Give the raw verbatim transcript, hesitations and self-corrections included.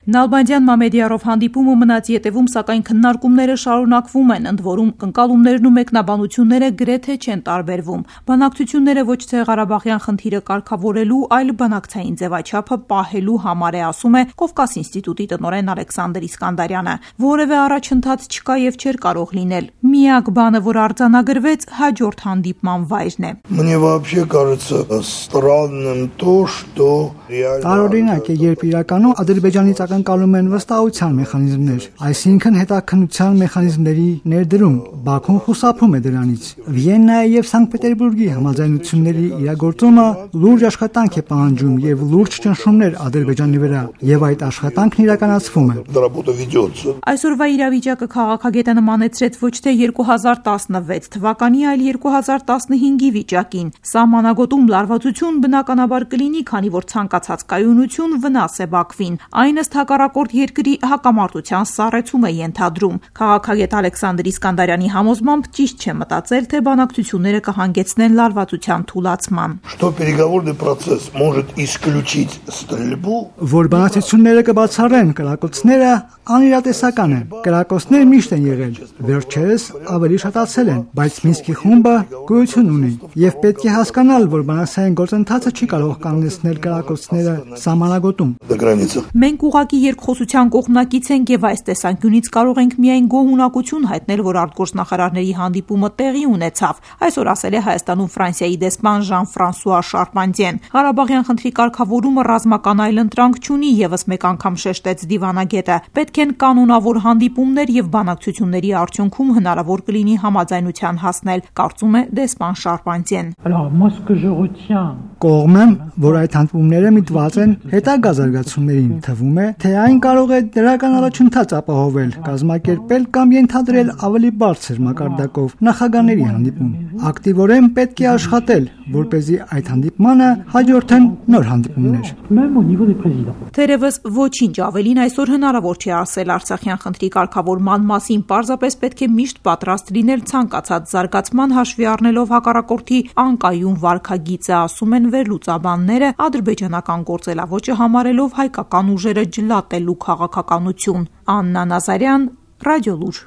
Նալբանդյան Մամեդիարով հանդիպումը մնաց ետևում, սակայն քննարկումները շարունակվում են, ընդ որում ընկալումներն ու մեկնաբանությունները գրեթե չեն տարբերվում։ Բանակցությունները ոչ թե Ղարաբաղյան խնդիրը կարգավորելու, այլ բանակցային ձևաչափը պահելու համար է, ասում է Կովկաս ինստիտուտի տնօրեն Ալեքսանդր Իսկանդարյանը։ Որևէ առաջընթաց չկա եւ չէր կարող լինել։ Միակ բանը, որ արձանագրվեց, հաջորդ հանդիպման վայրն է։ Мне вообще кажется странным то, что Տարօրինակ է, երբ իրականում Ադրբեջանից ակնկալում են վստահության մեխանիզմներ, այսինքն հետաքննության մեխանիզմների ներդրում, Բաքուն խուսափում է դրանից։ Վիեննայի եւ Սանկտ Պետերբուրգի համաձայնությունների իրագործումը լուրջ աշխատանք է պահանջում եւ լուրջ ճնշումներ Ադրբեջանի վրա, եւ այդ աշխատանքն իրականացվում է։ Այսօրվա իրավիճակը քաղաքագետը նմանեցրեց ոչ թե երկու հազար տասնվեց թվականի, այլ երկու հազար տասնհինգի վիճակին։ Սահմանագոտում լարվածություն բնականաբար կլինի, քանի որ ցանկացած կայունություն վնաս է Բաքվին։ Այն ըստ հակառակորդ երկրի հակամարտության սառեցում է ենթադրում։ Քաղաքագետ Ալեքսանդր Իսկանդարյանի համոզմամբ ճիշտ չէ մտածել, թե բանակցությունները կհանգեցնեն լարվածության թուլացման։ Что переговорный процесс может исключить стрельбу, որ բանակցությունները կբացառեն կրակոցները, անիրատեսական է։ Կրակոցներ միշտ են եղել, վերջերս ավելի շատացել են, բայց Մինսկի խումբը գոյություն ունի եւ պետք է հասկանալ, որ բանակցային գործընթացը չի կարող կանգնեցնել կրակոցները սահմանագոտում։ Մենք ուղղակի երկխոսության կողմնակից ենք եւ այս տեսանկյունից կարող ենք միայն գոհունակություն հայտնել, որ արտգործնախարարների հանդիպումը տեղի ունեցավ։ Այսօր ասել է Հայաստանում Ֆրանսիայի դեսպան Ժան-Ֆրանսուଆ Շարպանտիեն։ Ղարաբաղյան խնդրի կարգավորումը ռազմական այլընտրանք չունի, եւս մեկ անգամ շեշտեց դիվանագետը։ Պետք են կանոնավոր հանդիպումներ եւ բանակցությունների արդյունքում հնարավոր կլինի համաձայնության հասնել, կարծում է դեսպան Շարպանտիեն։ Կողմեմ, որ այդ հանդիպումները միտված են հետագա զարգացումներին, թվում է, թե այն կարող է դրական առաջընթաց ապահովել, կազմակերպել կամ ենթադրել ավելի բարձր մակարդակով նախագահների հանդիպում։ Ակտիվորեն պետք է աշխատել, որպեսզի այդ հանդիպմանը հաջորդեն նոր հանդիպումներ։ Թերևս ոչինչ ավելին այսօր հնարավոր չի ասել Արցախյան խնդրի կարգավորման մասին, պարզապես պետք է միշտ պատրաստ լինել ցանկացած զարգացման, հաշվի առնելով հակառակորդի անկայուն վարքագիծը, ասում են վերլուծաբանները, ադրբեջանական գործելավոճը համարելով հայկական ուժերը ջլատելու քաղաքականություն։ Աննա Նազարյան, Ռադիոլուր։